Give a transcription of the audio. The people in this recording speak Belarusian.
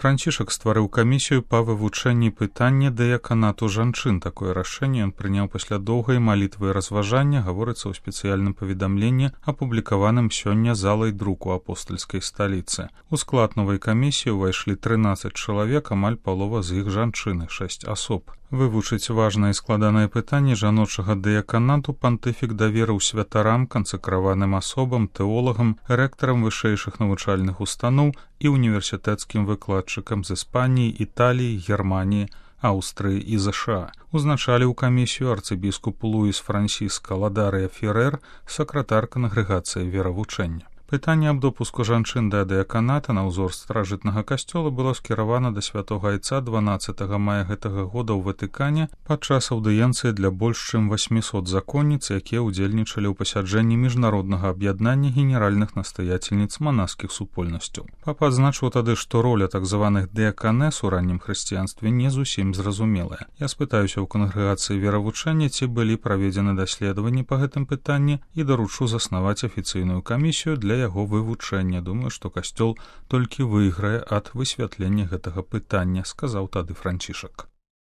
Францішак стварыў камісію па вывучэнні пытання дыяканату жанчын. Такое рашэнне ён прыняў пасля доўгай малітвы і разважання, гаворыцца ў спецыяльным паведамленні, апублікаваным сёння залай друку апостальскай сталіцы. У склад новай камісіі ўвайшлі 13 чалавек, амаль палова з іх жанчыны, 6 асоб. Вывучыць важнае і складанае пытанне жаночага дыяканату пантыфік даверыў святарам, кансакраваным асобам, тэолагам, рэктарам вышэйшых навучальных устаноў і універсітэцкім выкладчыкам з Іспаніі, Італіі, Германіі, Аўстрыі і ЗША. Узначаліў камісію арцыбіскуп Луіс Франсіска Ладарыя Ферэр, сакратар кангрэгацыі веравучэння. Пытанне аб допуску жанчын да дыяканата на ўзор старажытнага касцёла было скіравана да святога айца 12 мая гэтага года ў Ватыкане падчас аўдыенцыі для больш чым 800 законніц, якія ўдзельнічалі ў пасяджэнні міжнароднага аб'яднання генеральных настаяцельніц манаскіх супольнасцяў. Папа адзначыў тады, што роля так званых дыяканэс у раннім хрысціянстве не зусім зразумелая. Я спытаюся ў кангрэгацыі веравучэння, ці былі праведзены даследаванні па гэтым пытанні і даручу заснаваць афіцыйную камісію для яго вывучэння. Думаю, што касцёл толькі выйграе ад высвятлення гэтага пытання, сказаў тады Францішак.